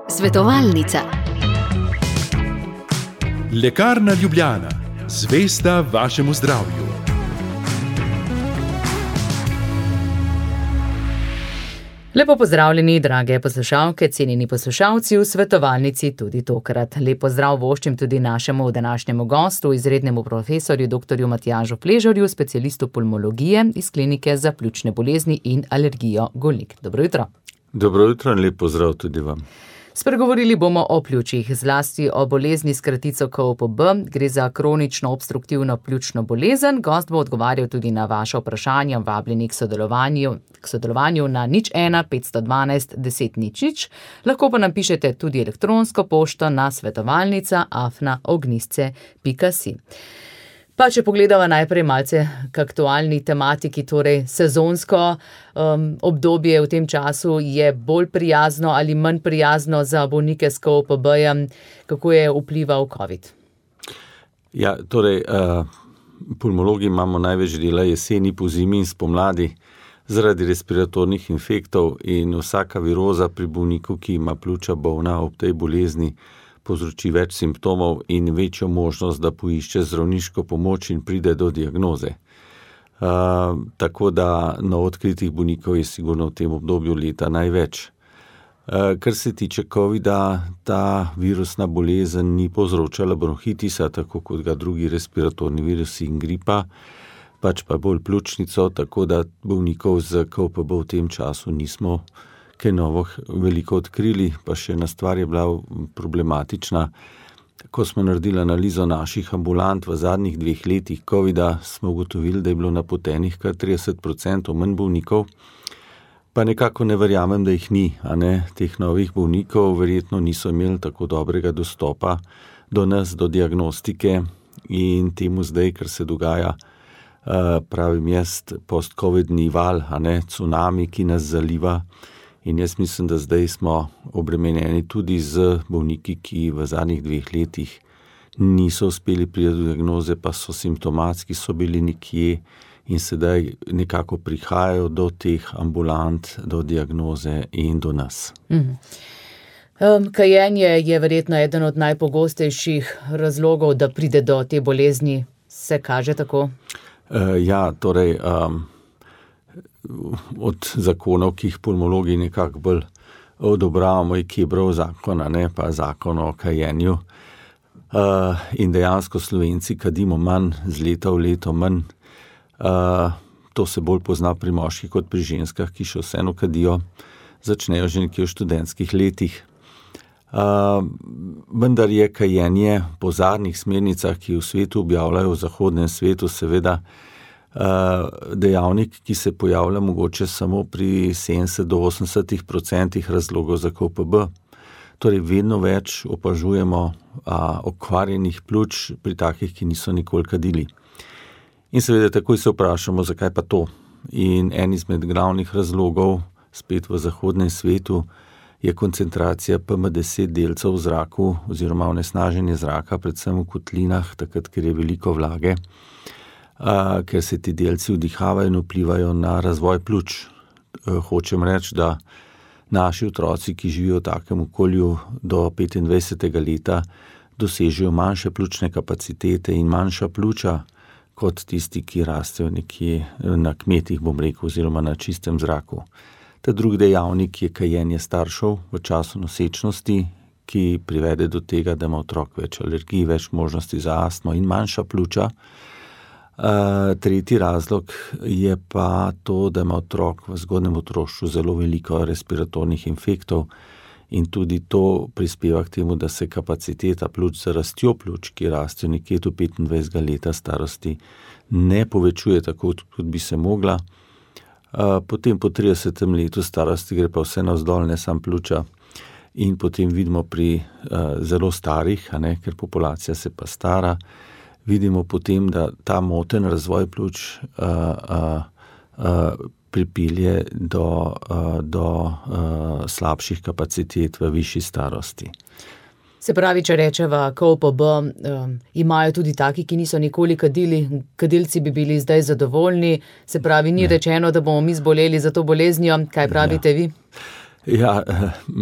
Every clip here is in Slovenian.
Svetovalnica. Lekarna Ljubljana, zvesta vašemu zdravju. Lepo pozdravljeni, drage poslušalke, cenjeni poslušalci v svetovalnici tudi tokrat. Lep pozdrav voščim tudi našemu današnjemu gostu, izrednemu profesorju dr. Matjažu Fležarju, specialistu pulmologije iz Klinike za pljučne bolezni in alergijo Golnik. Dobro jutro. Dobro jutro in lep pozdrav tudi vam. Spregovorili bomo o pljučih, zlasti o bolezni s kratico KOPB. Gre za kronično obstruktivno pljučno bolezen. Gost bo odgovarjal tudi na vaše vprašanja, vabljeni k sodelovanju na 01 512 10 00. Lahko pa nam pišete tudi elektronsko pošto na svetovalnica@ognjisce.si. Pa če pogledava najprej malce k aktualni tematiki, torej sezonsko obdobje v tem času je bolj prijazno ali manj prijazno za bolnike s KOPB-jem, kako je vplival COVID? Ja, torej, pulmologi imamo največ dela jeseni, pozimi in spomladi zaradi respiratornih infektov in vsaka viroza pri bolniku, ki ima pljuča bolna ob tej bolezni, povzroči več simptomov in večjo možnost, da poišče zdravniško pomoč in pride do diagnoze. Tako da novoodkritih bolnikov je sigurno v tem obdobju leta največ. Kar se tiče COVID-a, ta virusna bolezen ni povzročala bronhitisa, tako kot ga drugi respiratorni virusi in gripa, pač pa bolj pljučnico, tako da bolnikov z KOPB v tem času nismo kaj novo veliko odkrili, pa še ena stvar je bila problematična. Ko smo naredili analizo naših ambulant v zadnjih 2 letih COVID-a, smo ugotovili, da je bilo napotenih kar 30% manj bolnikov, pa nekako ne verjamem, da jih ni, teh novih bolnikov verjetno niso imeli tako dobrega dostopa do nas, do diagnostike in temu zdaj, kar se dogaja, pravim jaz, post-covidni val, cunami, ki nas zaliva. In jaz mislim, da zdaj smo obremenjeni tudi z bolniki, ki v zadnjih 2 letih niso uspeli priti do diagnoze, pa so simptomatski, so bili nekje in sedaj nekako prihajajo do teh ambulant, do diagnoze in do nas. Kajenje je verjetno eden od najpogostejših razlogov, da pride do te bolezni. Se kaže tako? Ja, torej, od zakonov, ki jih pulmologi nekako bolj odobravamo, je Kebrov zakon, pa zakon o kajenju. In dejansko Slovenci kadimo manj, z leta v leto manj. To se bolj pozna pri moških kot pri ženskah, ki še vseeno kadijo, začnejo že nekje v študentskih letih. Vendar je kajenje po zadnjih smernicah, ki v svetu objavljajo, v zahodnem svetu, seveda dejavnik, ki se pojavlja mogoče samo pri 70 do 80% razlogov za KOPB. Torej vedno več opažujemo okvarjenih pljuč pri takih, ki niso nikoli kadili. In seveda takoj se vprašamo, zakaj pa to. In en izmed glavnih razlogov, spet v zahodnem svetu, je koncentracija PM10 delcev v zraku oziroma onesnaženje zraka, predvsem v kotlinah, takrat, ker je veliko vlage, ker se ti delci vdihavajo in vplivajo na razvoj pljuč. Hočem reči, da naši otroci, ki živijo v takem okolju do 25. leta, dosežejo manjše pljučne kapacitete in manjša pljuča kot tisti, ki rastejo nekje na kmetih, bom rekel, oziroma na čistem zraku. Ta drugi dejavnik je kajenje staršev v času nosečnosti, ki privede do tega, da ima otrok več alergij, več možnosti za astmo in manjša pljuča. Tretji razlog je pa to, da ima otrok v zgodnjem otroštvu zelo veliko respiratornih infektov in tudi to prispeva k temu, da se kapaciteta pljuč za rastjo pljuč, ki rastejo nekje do 25. leta starosti, ne povečuje tako, kot bi se mogla. Potem po 30. letu starosti gre pa vse navzdol, ne samo pljuča. In potem vidimo pri zelo starih, ker populacija se pa stara, vidimo potem, da ta moten razvoj pljuč pripelje do slabših kapacitet v višji starosti. Se pravi, če rečeva KOPB, imajo tudi taki, ki niso nikoli kadili, kadilci bi bili zdaj zadovoljni, se pravi, ni rečeno, da bomo mi zboleli za to boleznijo, kaj pravite vi? Ja,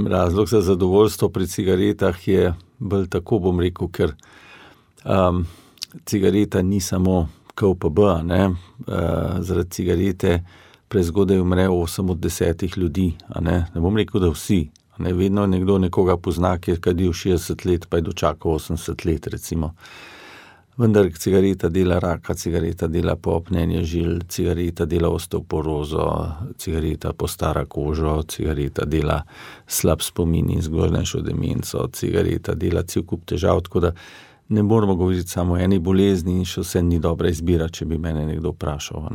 razlog za zadovoljstvo pri cigaretah je bolj tako, bom rekel, ker cigareta ni samo KOPB, zaradi cigarete prezgodaj umre 8 od 10 ljudi, ne bom rekel, da vsi. Vedno nekdo nekoga pozna, ki je kadil 60 let, pa je dočakal 80 let, recimo. Vendar cigareta dela raka, cigareta dela poopnjenje žil, cigareta dela osteoporozo, cigareta postara kožo, cigareta dela slab spomin in zgodnejšo demenco, cigareta dela cel kup težav, tako da ne moramo govoriti samo o eni bolezni in še vse ni dobra izbira, če bi mene nekdo vprašal.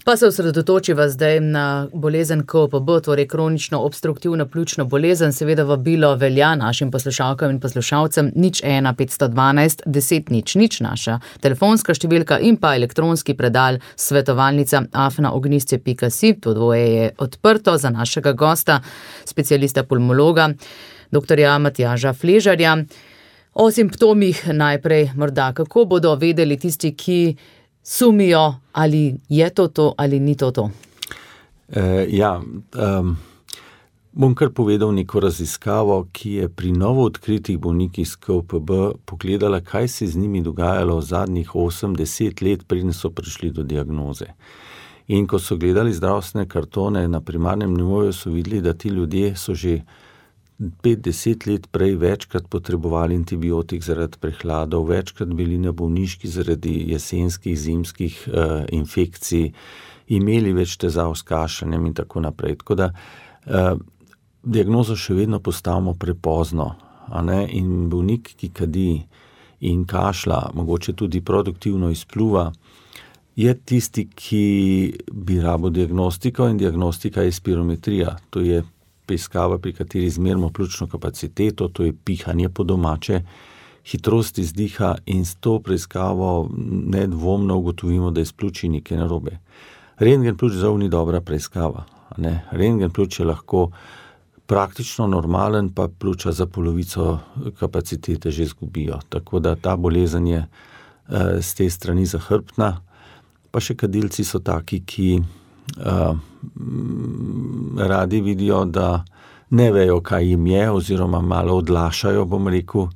Pa se osredotočiva zdaj na bolezen KOPB, torej kronično obstruktivno pljučno bolezen. Seveda vabilo velja našim poslušalkam in poslušalcem 01 512 10 00, naša telefonska številka in pa elektronski predal svetovalnica@ognisce.si. To dvoje je odprto za našega gosta, specialista pulmologa, doktorja Matjaža Fležarja. O simptomih najprej morda, kako bodo vedeli tisti, ki sumijo, ali je to ali ni to? Bom kar povedal neko raziskavo, ki je pri novo odkritih bolnikih s KOPB pogledala, kaj se z njimi dogajalo v zadnjih 8-10 let, preden so prišli do diagnoze. In ko so gledali zdravstvene kartone na primarnem nivoju, so videli, da ti ljudje so že 5-10 let prej večkrat potrebovali antibiotik zaradi prehladov, večkrat bili na bolniški zaradi jesenskih, zimskih infekcij, imeli več težav s kašljanjem in tako naprej. Tako da diagnozo še vedno postavimo prepozno, in bolnik, ki kadi in kašlja, mogoče tudi produktivno izpluva, je tisti, ki bi rabo diagnostiko, in diagnostika je spirometrija, to je preiskava, pri kateri izmerimo pljučno kapaciteto, to je pihanje po domače, hitrost izdiha, in s to preiskavo nedvomno ugotovimo, da je s pljuči nekaj narobe. Rentgen pljuč žal ni dobra preiskava. Rentgen pljuč je lahko praktično normalen, pa pljuča za polovico kapacitete že izgubijo. Tako da ta bolezen je z te strani zahrbtna. Pa še kadilci so taki, ki radi vidijo, da ne vejo, kaj jim je, oziroma malo odlašajo, bom rekel,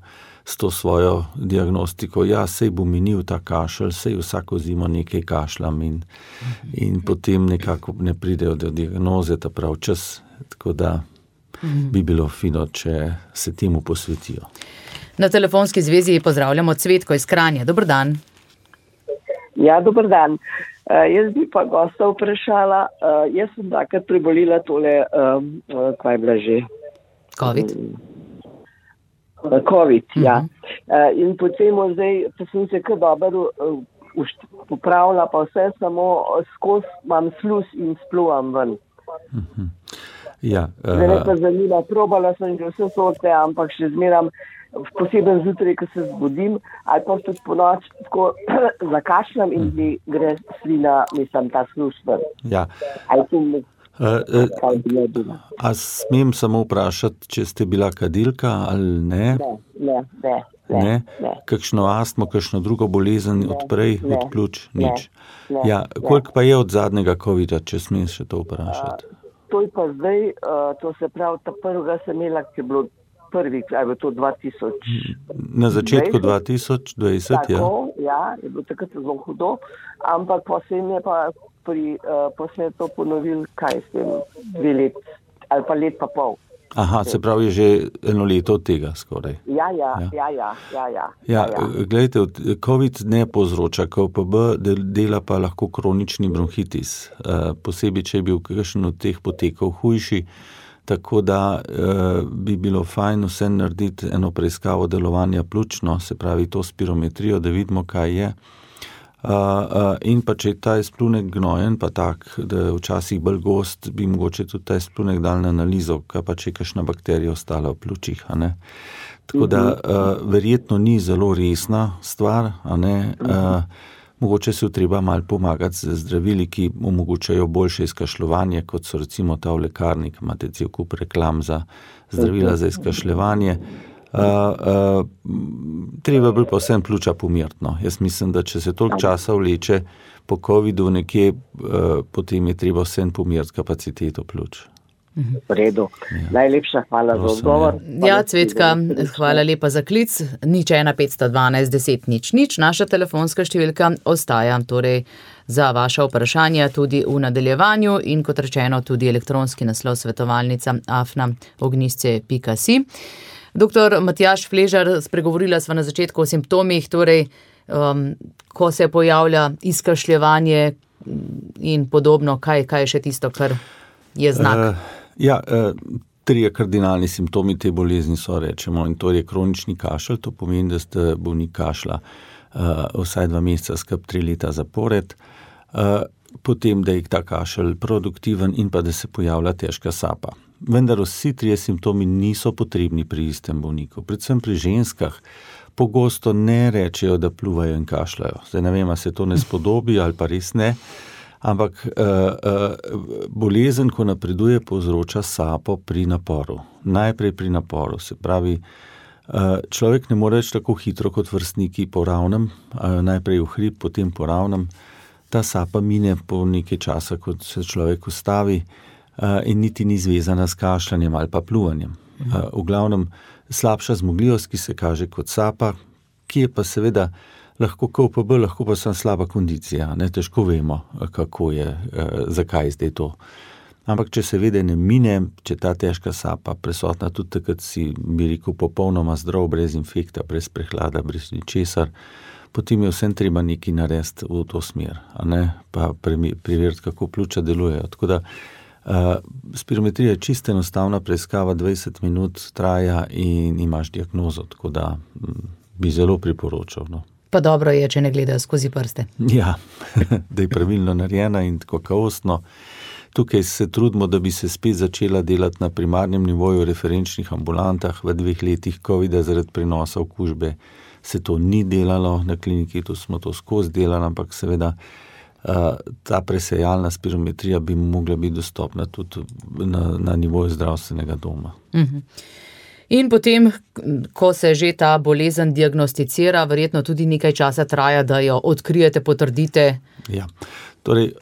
s to svojo diagnostiko. Ja, sej bo minil ta kašelj, sej vsako zimo nekaj kašljam in potem nekako ne pridejo do diagnoze ta prav čas, tako da bi bilo fino, če se temu posvetijo. Na telefonski zvezi pozdravljamo Cvetko iz Kranja. Dober dan. Ja, dober dan. Jaz bi pa gosta vprašala, jaz sem takrat prebolila tole, kaj je bila že? Covid, ja. In potem zdaj, pa sem se kar dobro popravila, pa vse samo skozi imam sluz in spluvam ven. Ja. Zdaj pa zanima, probala sem že vse sorte, ampak še zmeram, posebej zjutraj, ko se zbudim, ali pa tudi po noč tako zakašljam in mi gre slina, mislim, ta sluz ven. Ja. A smem samo vprašati, če ste bila kadilka ali ne? Ne. Kakšno astmo, kakšno drugo bolezen odprej od pljuč? Nič. Ja, koliko pa je od zadnjega covida, če smem še to vprašati? To je pa zdaj, to se pravi, ta prvega sem imela, ki je bilo prvi, ali je to 2000. Na začetku 2020, tako, ja, je bilo takrat zelo hudo, ampak potem je pa potem je to ponovil, kaj s tem, 2 let, ali pa let pa pol. Aha, se pravi, je že 1 leto od tega skoraj. Ja, glejte, COVID ne povzroča KOPB, dela pa lahko kronični bronhitis, posebej, če je bil kakšen od teh potekov hujši, tako da bi bilo fajn vse narediti eno preiskavo delovanja pljučno, se pravi to spirometrijo, da vidimo, kaj je. In pa če je ta izplunek gnojen, pa tak, da je včasih bolj gost, bi mogoče tudi ta izplunek dal na analizo, kaj pa če je kakšna bakterija ostala v pljučih. Tako da verjetno ni zelo resna stvar, mogoče se je treba malo pomagati z zdravili, ki omogočajo boljše izkašljevanje, kot so recimo ta v lekarni, imate cel kup reklam za zdravila za izkašljevanje. Treba bi pa vsem pljuča pomirtno. Jaz mislim, da če se toliko časa vleče po covidu nekje, potem je treba vsem pomiriti kapaciteto pljuč. V redu. Najlepša hvala za odgovor. Ja, Cvetka, hvala lepa za klic. 01512 10 00. Naša telefonska številka ostaja torej za vaša vprašanja tudi v nadaljevanju in kot rečeno tudi elektronski naslov svetovalnica afna@ognisce.si. Doktor Matjaž Fležar, spregovorila sva na začetku o simptomih, torej ko se pojavlja izkašljevanje in podobno, kaj je še tisto, kar je znak? Trije kardinalni simptomi te bolezni so, rečemo, in to je kronični kašelj, to pomeni, da ste bolnik kašlja vsaj 2 meseca, skrb 3 leta zapored, potem, da je ta kašelj produktiven in pa da se pojavlja težka sapa. Vendar vsi trije simptomi niso potrebni pri istem bolniku, predvsem pri ženskah. Pogosto ne rečejo, da pluvajo in kašljajo. Zdaj ne vem, ali se to ne spodobi ali pa res ne, ampak bolezen, ko napreduje, povzroča sapo pri naporu. Najprej pri naporu, se pravi, človek ne more več tako hitro kot vrstniki po ravnem, najprej v hrib, potem po ravnem. Ta sapa mine po nekaj časa, kot se človek ustavi in niti ni zvezana s kašljanjem ali pa pluvanjem. V glavnem slabša zmogljivost, ki se kaže kot sapa, ki je pa seveda lahko KOPB, lahko pa sem slaba kondicija, ne, težko vemo, kako je, zakaj zdaj to. Ampak če seveda ne mine, če ta težka sapa prisotna tudi takrat si, bi rekel, popolnoma zdrav, brez infekta, brez prehlada, brez ničesar, potem je vsem treba nekaj narediti v to smer, a ne, pa preveriti, kako pljuča delujejo. Tako da spirometrija je čisto enostavna preiskava, 20 minut traja in imaš diagnozo, tako da bi zelo priporočal, no. Pa dobro je, če ne gledajo skozi prste. Ja, da je pravilno narejena in tako kakovostno. Tukaj se trudimo, da bi se spet začela delati na primarnem nivoju v referenčnih ambulantah. V 2 letih COVID-a zaradi prenosa okužbe se to ni delalo na kliniki, tu smo to skozi delali, ampak seveda ta presejalna spirometrija bi mogla biti dostopna tudi na nivoju zdravstvenega doma. In potem, ko se že ta bolezen diagnosticira, verjetno tudi nekaj časa traja, da jo odkrijete, potrdite. Ja, torej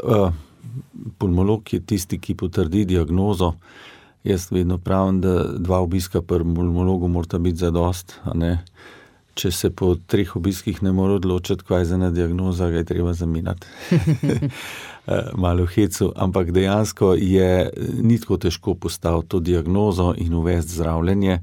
pulmolog je tisti, ki potrdi diagnozo. Jaz vedno pravim, da 2 obiska pri pulmologu morata biti zadost, a ne. Če se po 3 obiskih ne more odločiti, kaj je za ena diagnoza, ga je treba zamenjati. Malo v hecu, ampak dejansko ni tako težko postaviti to diagnozo in uvesti zdravljenje.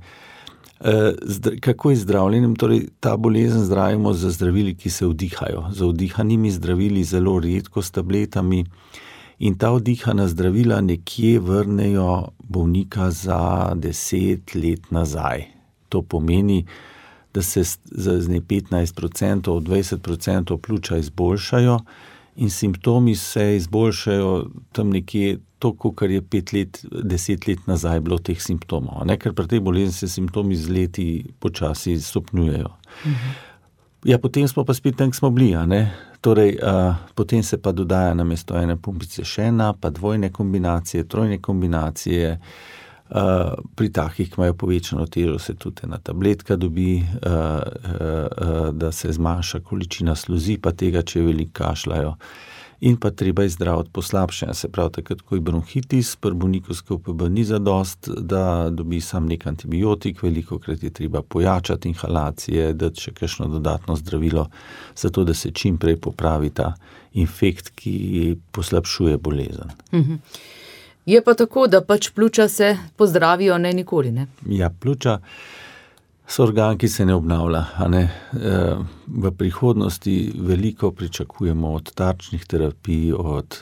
Kako je zdravljenjem? Torej, ta bolezen zdravimo z zdravili, ki se vdihajo. Z vdihanimi zdravili, zelo redko s tabletami. In ta vdihana zdravila nekje vrnejo bolnika za 10 let nazaj. To pomeni, da se z 15%, 20% pljuča izboljšajo in simptomi se izboljšajo tam nekje toliko, kar je 10 let nazaj bilo teh simptomov. Ne? Ker pri tej bolezni se simptomi z leti počasi stopnjujejo. Ja, potem smo pa spet tam, smo bili, a ne? Torej, potem se pa dodaja namesto ene pumpice še ena, pa 2 kombinacije, 3 kombinacije. Pri takih, ki imajo povečano težo, se tudi ena tabletka dobi, da se zmanjša količina sluzi, pa tega, če veliko kašljajo. In pa treba je zdraviti poslabšanje, se pravi, takrat, ko je bronhitis, pri bolniku s KOPB ni zadost, da dobi sam nek antibiotik, velikokrat je treba pojačati inhalacije, dati še kakšno dodatno zdravilo, zato da se čim prej popravi ta infekt, ki poslabšuje bolezen. Je pa tako, da pač pljuča se pozdravijo, ne nikoli, ne? Ja, pljuča so organ, ki se ne obnavlja, a ne. V prihodnosti veliko pričakujemo od tarčnih terapij, od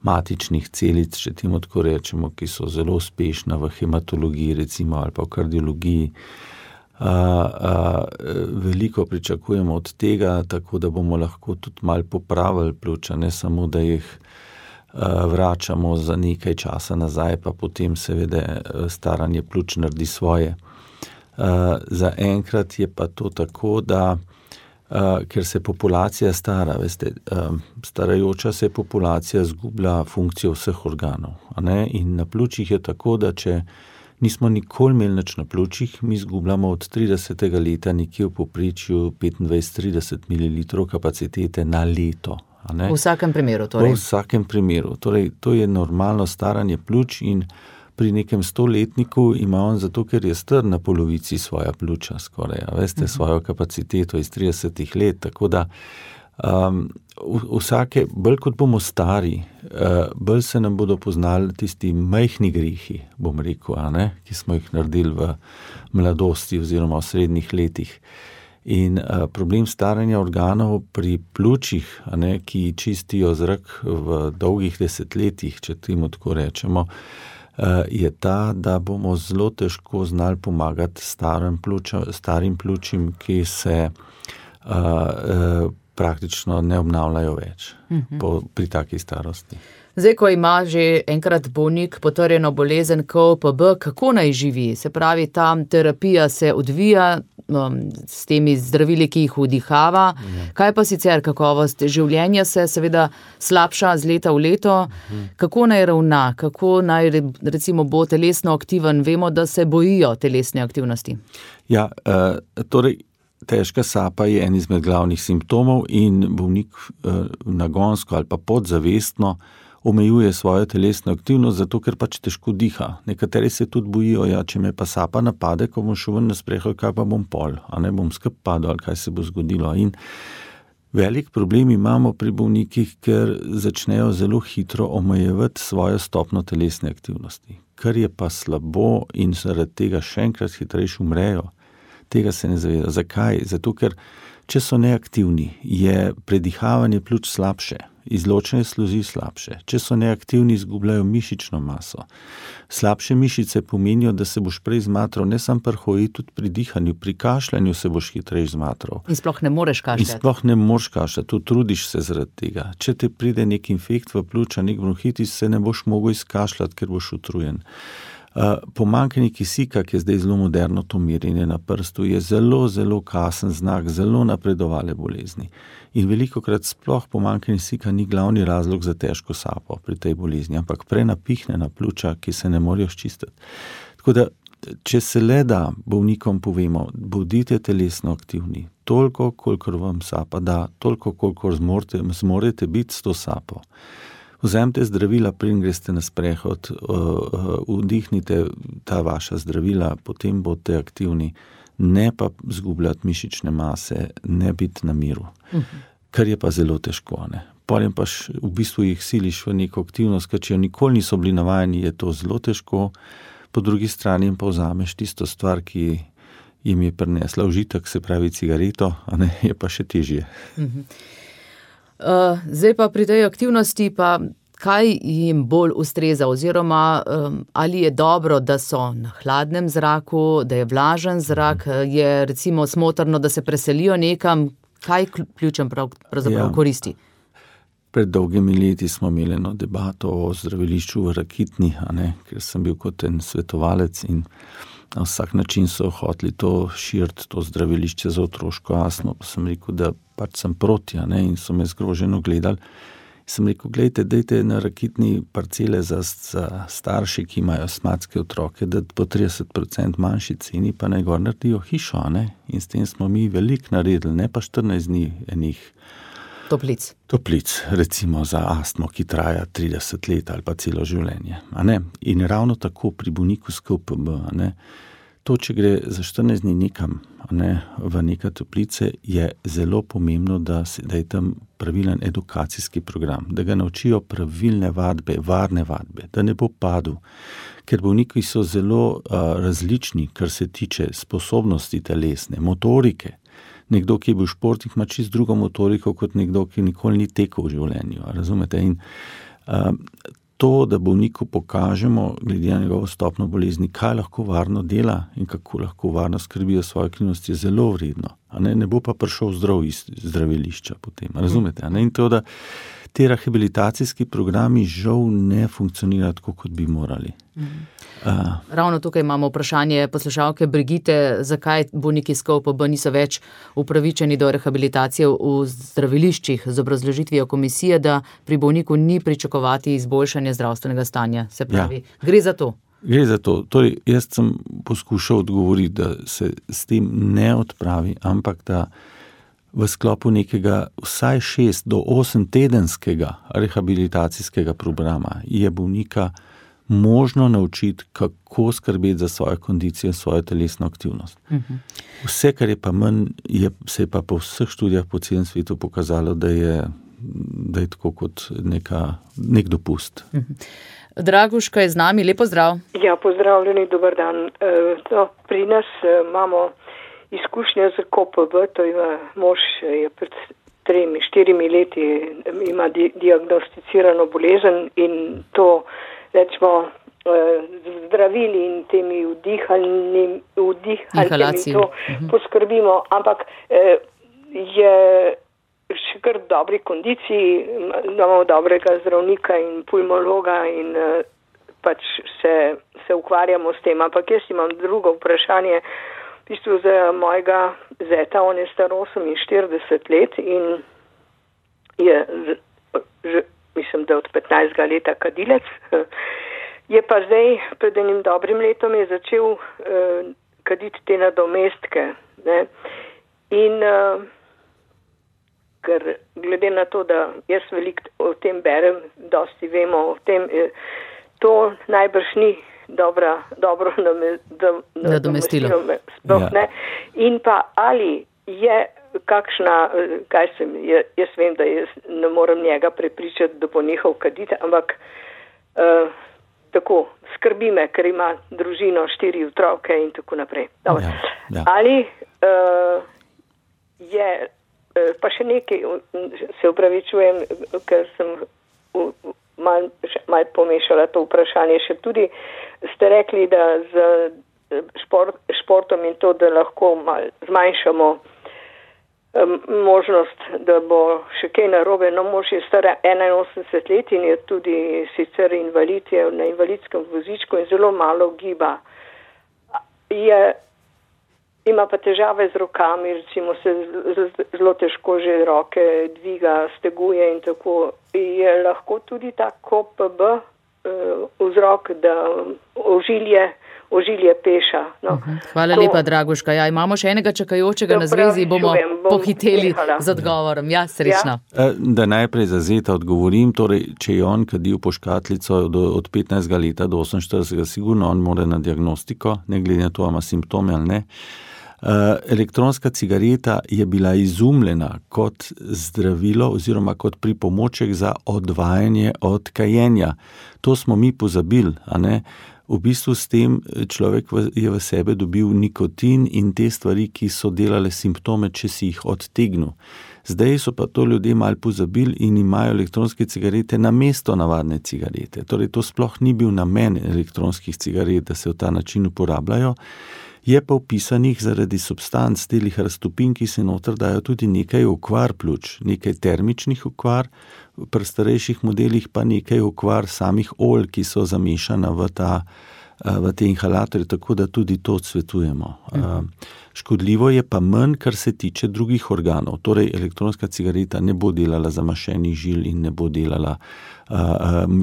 matičnih celic, če temu tako rečemo, ki so zelo uspešna v hematologiji recimo ali pa v kardiologiji. Veliko pričakujemo od tega, tako da bomo lahko tudi malo popravili pljuča, ne samo, da jih vračamo za nekaj časa nazaj, pa potem seveda staranje pljuč naredi svoje. Za enkrat je pa to tako, da ker se populacija stara, veste, starajoča se populacija zgublja funkcijo vseh organov, a ne? In na pljučih je tako, da če nismo nikoli imeli nič na pljučih, mi zgubljamo od 30. leta nekje v povprečju 25-30 ml kapacitete na leto. V vsakem primeru torej? V vsakem primeru. Torej, to je normalno staranje pljuč in pri nekem 100-letniku ima on zato, ker je star na polovici svoja pljuča skoraj, veste, svojo kapaciteto iz 30 let, tako da bolj kot bomo stari, bolj se nam bodo poznali tisti majhni grehi, bom rekel, ki smo jih naredili v mladosti oziroma v srednjih letih. In problem staranja organov pri pljučih, ki čistijo zrak v dolgih desetletjih, če temu tako rečemo, je ta, da bomo zelo težko znali pomagati starim pljučim, ki se praktično ne obnavljajo več pri taki starosti. Zdaj, ko ima že enkrat bolnik potrjeno bolezen COPD, kako naj živi? Se pravi, ta terapija se odvija s temi zdravili, ki jih vdihava. Kaj pa sicer kakovost življenja se seveda slabša z leta v leto? Kako naj ravna? Kako naj recimo bo telesno aktiven? Vemo, da se bojijo telesne aktivnosti. Ja, torej težka sapa je en izmed glavnih simptomov in bolnik nagonsko ali pa podzavestno omejuje svojo telesno aktivnost, zato ker pač težko diha. Nekateri se tudi bojijo, če me pa sapa napade, ko bom šel ven na sprehod, kaj pa bom pol, bom skup padel, ali kaj se bo zgodilo. In velik problem imamo pri bolnikih, ker začnejo zelo hitro omejevati svojo stopno telesne aktivnosti, kar je pa slabo in zaradi tega še enkrat hitrejše umrejo. Tega se ne zaveda. Zakaj? Zato, ker če so neaktivni, je predihavanje pljuč slabše, izločanje sluzi slabše. Če so neaktivni, izgubljajo mišično maso. Slabše mišice pomenijo, da se boš prej zmatral, ne samo pri hoji, tudi pri dihanju, pri kašljanju se boš hitreje zmatral. In sploh ne moreš kašljati. Trudiš se zaradi tega. Če te pride nek infekt v pljuča, nek bronhitis, se ne boš mogel izkašljati, ker boš utrujen. Pomanjkanje kisika, ki je zdaj zelo moderno, to merjenje na prstu, je zelo, zelo kasen znak, zelo napredovale bolezni. In velikokrat sploh pomanjkanje kisika ni glavni razlog za težko sapo pri tej bolezni, ampak prenapihnjena pljuča, ki se ne morejo sčistiti. Tako da, če se le da bolnikom povemo, bodite telesno aktivni, toliko, kolikor vam sapa da, toliko, kolikor zmorete biti s to sapo. Vzemite zdravila, preden greste na sprehod, vdihnite ta vaša zdravila, potem boste aktivni, ne pa zgubljati mišične mase, ne biti na miru, kar je pa zelo težko. Potem pa v bistvu jih siliš v neko aktivnost, ker če jo nikoli niso bili navajeni, je to zelo težko, po drugi strani pa vzameš tisto stvar, ki jim je prinesla užitek, se pravi cigareto, je pa še težje. Zdaj pa pri tej aktivnosti pa kaj jim bolj ustreza oziroma ali je dobro, da so na hladnem zraku, da je vlažen zrak, je recimo smotrno, da se preselijo nekam, kaj pljučem pravzaprav koristi? Pred dolgimi leti smo imeli eno debato o zdravilišču v Rakitni, ker sem bil kot en svetovalec in na vsak način so hoteli to širiti, to zdravilišče za otroško astmo, pa sem rekel, da pač sem proti, in so me zgroženo gledali. Sem rekel, gledajte, dajte na Rakitni parcele za starše, ki imajo astmatske otroke, da po 30% manjši ceni, pa naj gor naredijo hišo, in s tem smo mi veliko naredili, ne pa 14 dni enih toplic, recimo za astmo, ki traja 30 let ali pa celo življenje. In ravno tako pri bolniku s COPD, to, če gre za 14 dni nekam, v neka toplice, je zelo pomembno, da je tam pravilen edukacijski program, da ga naučijo pravilne vadbe, varne vadbe, da ne bo padel, ker bolniki so zelo različni, kar se tiče sposobnosti telesne, motorike. Nekdo, ki je bil športnik, ima čisto drugo motoriko kot nekdo, ki nikoli ni tekel v življenju. Razumete? In to, da bolniku pokažemo, glede na njegovo stopno bolezni, kaj lahko varno dela in kako lahko varno skrbi za svojo aktivnost, je zelo vredno. Ne bo pa prišel zdrav iz zdravilišča potem. Razumete? In to, da te rehabilitacijski programi žal ne funkcionirajo tako, kot bi morali. Ravno tukaj imamo vprašanje poslušalke Brigite, zakaj bolniki s COPD niso več upravičeni do rehabilitacije v zdraviliščih, z obrazložitvijo komisije, da pri bolniku ni pričakovati izboljšanja zdravstvenega stanja. Se pravi, gre za to. Gre za to. Torej, jaz sem poskušal odgovoriti, da se s tem ne odpravi, ampak da v sklopu nekega vsaj 6 do 8 tedenskega rehabilitacijskega programa je bolnika možno naučiti, kako skrbeti za svojo kondicijo in svojo telesno aktivnost. Vse, kar je pa manj, se je pa po vseh študijah po celem svetu pokazalo, da je tako kot nek dopust. Draguška je z nami, lepo zdrav. Ja, pozdravljeni, dober dan. Pri nas imamo izkušnje z KOPB, to je mož je pred 3-4 leti ima diagnosticirano bolezen in to rečemo zdravili in temi vdihalnimi to poskrbimo, ampak je še kar v dobri kondiciji, imamo dobrega zdravnika in pulmologa in pač se ukvarjamo s tem, ampak jaz imam drugo vprašanje. V bistvu za mojega zeta, on je star 48 let in je, mislim, da od 15 leta kadilec. Je pa zdaj, pred enim dobrim letom je začel kaditi te nadomestke. Ne? In ker glede na to, da jaz veliko o tem berem, dosti vemo o tem, to najbrž ni dobro nadomestilo. In pa ali je kakšna, jaz vem, da jaz ne morem njega prepričati, da bo nehal kaditi, ampak tako, skrbi me, ker ima družino, 4 otroke in tako naprej. Ja. Ali je, pa še nekaj, se opravičujem, ker sem malo pomešala to vprašanje, še tudi ste rekli, da z športom in to, da lahko malo zmanjšamo možnost, da bo še kaj narobe. No, mož je star 81 let in je tudi sicer invalid, je na invalidskem vozičku in zelo malo giba. Ima pa težave z rokami, recimo se zelo težko že roke dviga, steguje in tako. Je lahko tudi ta KOPB vzrok, da ožilje peša. No. Hvala lepa, Draguška. Ja, imamo še enega čakajočega na zvezi, bomo pohiteli z odgovorom. Ja, srečno. Ja. Da najprej za zeta odgovorim, torej, če je on kadil po škatlico od 15 leta do 48, sigurno on mora na diagnostiko, ne glede na to, ima simptome ali ne. Elektronska cigareta je bila izumljena kot zdravilo oziroma kot pripomoček za odvajanje od kajenja. To smo mi pozabili, a ne? V bistvu s tem človek je v sebe dobil nikotin in te stvari, ki so delale simptome, če si jih odtegnil. Zdaj so pa to ljudje malo pozabili in imajo elektronske cigarete namesto navadne cigarete. Torej, to sploh ni bil namen elektronskih cigaret, da se v ta način uporabljajo. Je pa vpisanih zaradi substanc telih raztopin, ki se noter dajo tudi nekaj okvar pljuč, nekaj termičnih okvar, pri starejših modelih pa nekaj okvar samih olj, ki so zamešana v te inhalatorje, tako da tudi to odsvetujemo. Škodljivo je pa manj, kar se tiče drugih organov. Torej, elektronska cigareta ne bo delala zamašenih žil in ne bo delala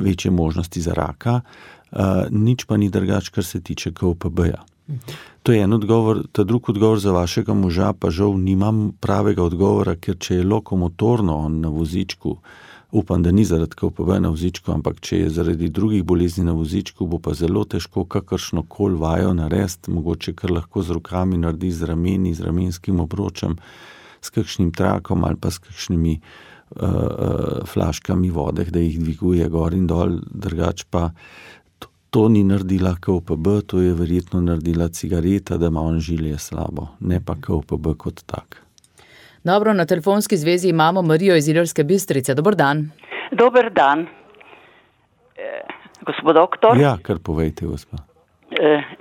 večje možnosti za raka, nič pa ni drugače, kar se tiče KOPB-ja. To je en odgovor, ta drug odgovor za vašega moža, pa žal nimam pravega odgovora, ker če je lokomotorno on na vozičku, upam, da ni zaradi KOPB na vozičku, ampak če je zaradi drugih bolezni na vozičku, bo pa zelo težko kakršnokoli vajo narediti, mogoče kar lahko z rokami naredi, z rameni, z ramenskim obročem, s kakšnim trakom ali pa s kakšnimi flaškami vode, da jih dviguje gor in dol, drugače pa to ni naredila KOPB, to je verjetno naredila cigareta, da ima on žilje slabo, ne pa KOPB kot tak. Dobro, na telefonski zvezi imamo Marijo iz Ilirske Bistrice. Dober dan. Dober dan. Gospod doktor? Ja, kar povejte, gospa.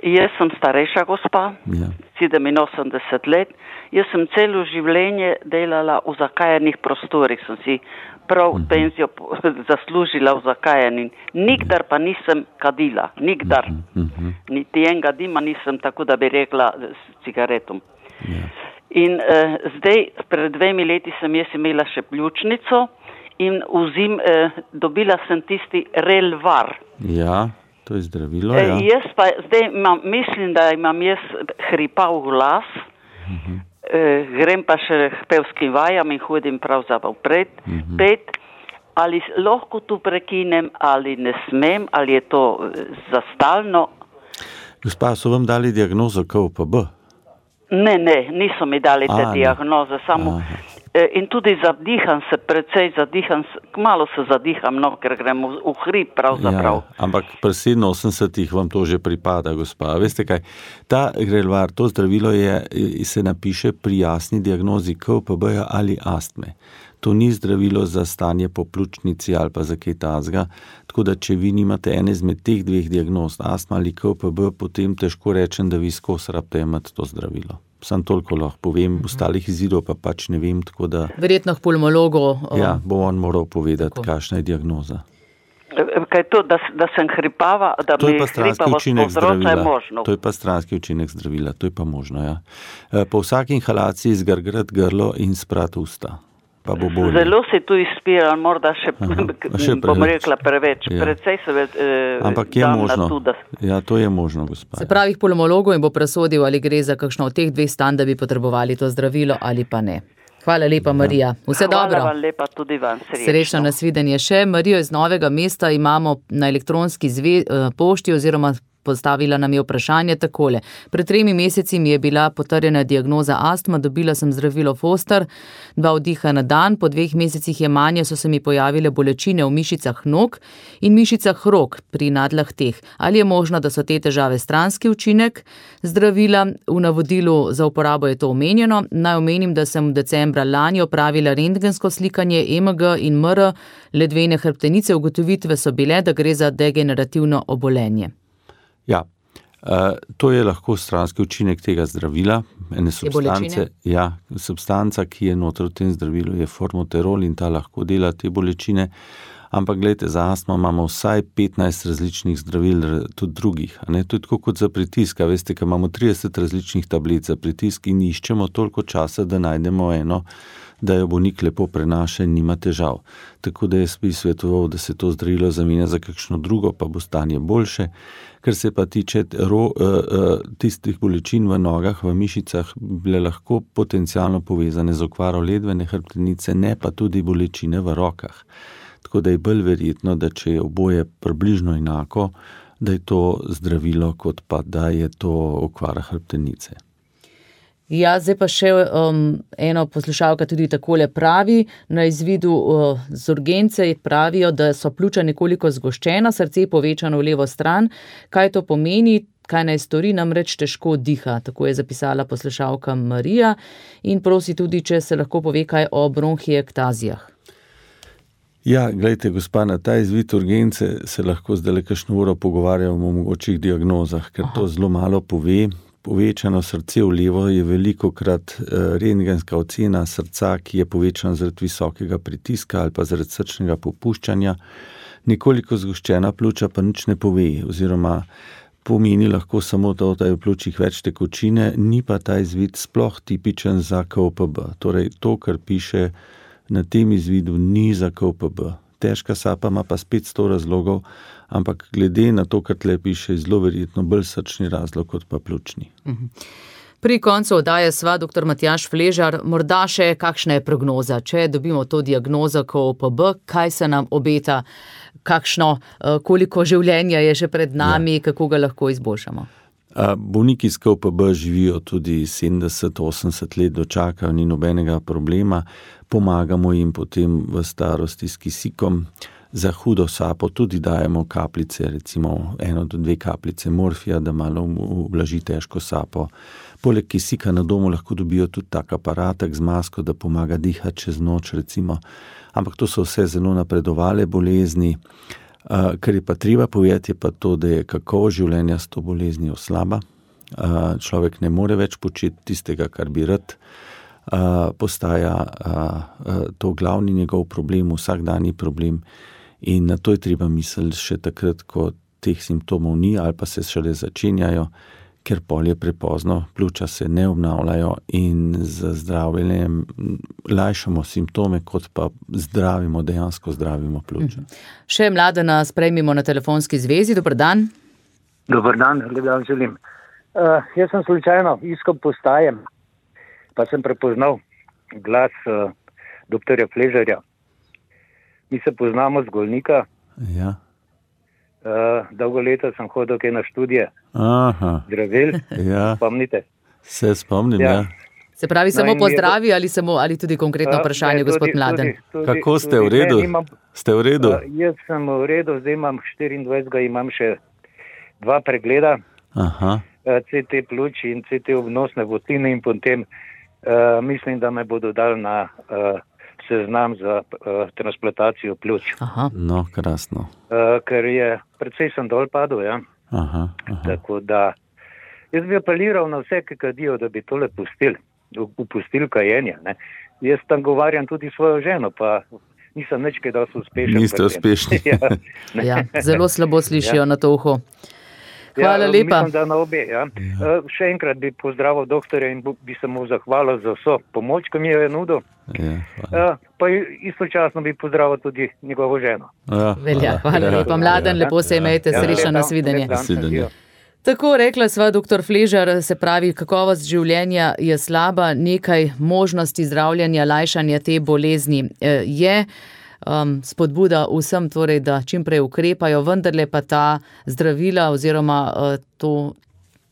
Jaz sem starejša gospa, ja. 87 let. Jaz sem celo življenje delala v zakajanih prostorih, sem si prav penzijo zaslužila v zakajanju. Nikdar pa nisem kadila, nikdar. Niti enega dima nisem, tako da bi rekla, s cigaretom. Ja. In zdaj, pred 2 leti sem jaz imela še pljučnico in dobila sem tisti Relvar. Ja, to je zdravilo, ja. Jaz pa zdaj mislim, da imam jaz hripav glas, grem pa še k pevskim vajam in hodim pravzaprav pet. ali lahko tu prekinem, ali ne smem, ali je to za stalno. Gospa, so vam dali diagnozo KOPB? Ne, niso mi dali te diagnoze, samo in tudi kmalu se zadiham, ker grem v hrib pravzaprav. Ja, ampak pri 87 vam to že pripada, gospa. Veste kaj, ta Grelvar, to zdravilo se napiše pri jasni diagnozi KOPB ali astme. To ni zdravilo za stanje po pljučnici ali pa za kaj takega, tako da če vi nimate ene izmed teh dveh diagnoz, astma ali KOPB, potem težko rečem, da vi skozi rabite imeti to zdravilo. Sam toliko lahko povem, ostalih izidov pa pač ne vem, tako da... Verjetno k pulmologu. Ja, bo on moral povedati, kakšna je diagnoza. Kaj to, da sem hripava, da mi hripavost povzroča, je možno? To je pa stranski učinek zdravila, to je pa možno, ja. Po vsaki inhalaciji zgrgrati grlo in sprati usta. Zelo si tu izpiral, morda še bom rekla preveč. Ja. Precej se ampak je možno. Ja, to je možno, gospod. Se pravi, pulmologu in bo presodil, ali gre za kakšno od teh dveh stanj, da bi potrebovali to zdravilo ali pa ne. Hvala lepa, Marija. Vse dobro. Hvala vam lepa tudi vam. Srečno nasvidenje še. Marijo iz Novega mesta imamo na elektronski pošti oziroma postavila nam je vprašanje takole. Pred 3 meseci mi je bila potrjena diagnoza astma, dobila sem zdravilo Foster, 2 vdiha na dan, po 2 mesecih jemanja so se mi pojavile bolečine v mišicah nog in mišicah rok pri nadlahteh. Ali je možno, da so te težave stranski učinek zdravila? V navodilu za uporabo je to omenjeno. Naj omenim, da sem decembra lani opravila rentgensko slikanje EMG in MR ledvene hrbtenice. Ugotovitve so bile, da gre za degenerativno obolenje. Ja, to je lahko stranski učinek tega zdravila, ene substance. Ja, substanca, ki je noter v tem zdravilu, je formoterol in ta lahko dela te bolečine. Ampak gledajte, za astmo imamo vsaj 15 različnih zdravil, tudi drugih. To je tako kot za pritisk. Veste, ko imamo 30 različnih tablic za pritisk in iščemo toliko časa, da najdemo eno, da jo bolnik lepo prenaša in nima težav. Tako da jaz bi svetoval, da se to zdravilo zamenja za kakšno drugo, pa bo stanje boljše. Ker se pa tiče tistih bolečin v nogah, v mišicah, bile lahko potencialno povezane z okvaro ledvene hrbtenice, ne pa tudi bolečine v rokah. Tako da je bolj verjetno, da če je oboje približno enako, da je to zdravilo, kot pa da je to okvara hrbtenice. Ja, zdaj pa še eno poslušalka tudi takole pravi, na izvidu z urgence pravijo, da so pljuča nekoliko zgoščena, srce povečano v levo stran. Kaj to pomeni? Kaj naj stori, namreč težko diha, tako je zapisala poslušalka Marija in prosi tudi, če se lahko pove kaj o bronhiektazijah. Ja, gledajte, gospa, na ta izvid urgence se lahko zdaj kakšno uro pogovarjamo o mogočih diagnozah, ker to zelo malo pove. Povečano srce v levo je velikokrat rentgenska ocena srca, ki je povečana zaradi visokega pritiska ali pa zaradi srčnega popuščanja. Nekoliko zgoščena pljuča pa nič ne pove, oziroma pomeni lahko samo to, da je v pljučih več tekočine, ni pa ta izvid sploh tipičen za KOPB. Torej, to, kar piše na tem izvidu, ni za KOPB. Težka sapa ima pa spet 100 razlogov, ampak glede na to, kar tle piše, je zelo verjetno bolj srčni razlog kot pa pljučni. Pri koncu oddaje sva dr. Matjaž Fležar, morda še kakšna je prognoza, če dobimo to diagnozo KOPB, kaj se nam obeta, koliko življenja je že pred nami, kako ga lahko izboljšamo? Bolniki s KOPB živijo tudi 70-80 let, dočakajo, ni nobenega problema, pomagamo jim potem v starosti s kisikom. Za hudo sapo tudi dajemo kapljice, recimo 1 do 2 kapljice morfija, da malo ublaži težko sapo. Poleg kisika na domu lahko dobijo tudi tak aparatek z masko, da pomaga dihati čez noč, recimo. Ampak to so vse zelo napredovale bolezni. Kar je pa treba povedati, je pa to, da je kakovost življenja s to boleznijo slaba. Človek ne more več početi tistega, kar bi rad. Postaja to glavni njegov problem, vsakdanji problem. In na to je treba misliti še takrat, ko teh simptomov ni ali pa se šele začenjajo, ker pol je prepozno, pljuča se ne obnavljajo in z zdravljenjem lajšamo simptome, kot pa dejansko zdravimo pljuča. Še Mladena sprejmimo na telefonski zvezi. Dobar dan. Dobar dan, lep dan želim. Jaz sem slučajno iskal postajem, pa sem prepoznal glas doktorja Fležarja. Mi se poznamo z Golnika. Ja. Dolgo leta sem hodil na študije. Aha. Zdravil. Ja. Spomnite? Se spomnim, ja. Se pravi, samo pozdravi ali tudi konkretno vprašanje, gospod Mladen? Kako ste v redu? Ste v redu? Jaz sem v redu, zdaj imam 24, imam še 2 pregleda. Aha. CT pljuč in CT obnosne votline in potem mislim, da me bodo dali na seznam za transplantacijo pljuč. Aha. No, krasno. Ker je, precej sem dol padel, ja. Aha. Tako da, jaz bi apeliral na vse, ki kadijo, da bi tole upustili kajenje, ne. Jaz tam govarjam tudi svojo ženo, pa nisem nič kaj dosti uspešen. Niste uspešni. Ja, zelo slabo slišijo na to uho. Hvala lepa. Mislim, da na obe, ja. Še enkrat bi pozdravil doktorja in bi se mu zahvalil za vso pomoč, ki mi jo je nudil. Ja, pa istočasno bi pozdravil tudi njegovo ženo. Velja, hvala lepa. Mladen, lepo se imejte, srečno nasvidenje. Tako rekla sva, doktor Fležar, se pravi, kakovost življenja je slaba, nekaj možnosti zdravljenja, lajšanja te bolezni je. Spodbuda vsem torej, da čim prej ukrepajo, vendarle pa ta zdravila oziroma to,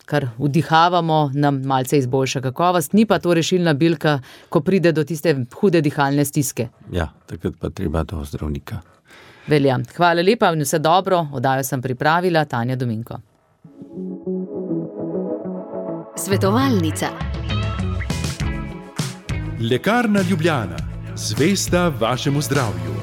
kar vdihavamo, nam malce izboljša kakovost. Ni pa to rešilna bilka, ko pride do tiste hude dihalne stiske. Ja, takrat pa treba do zdravnika. Velja. Hvala lepa in vse dobro. Oddajo sem pripravila Tanja Dominko. Svetovalnica. Lekarna Ljubljana. Zvesta vašemu zdravju.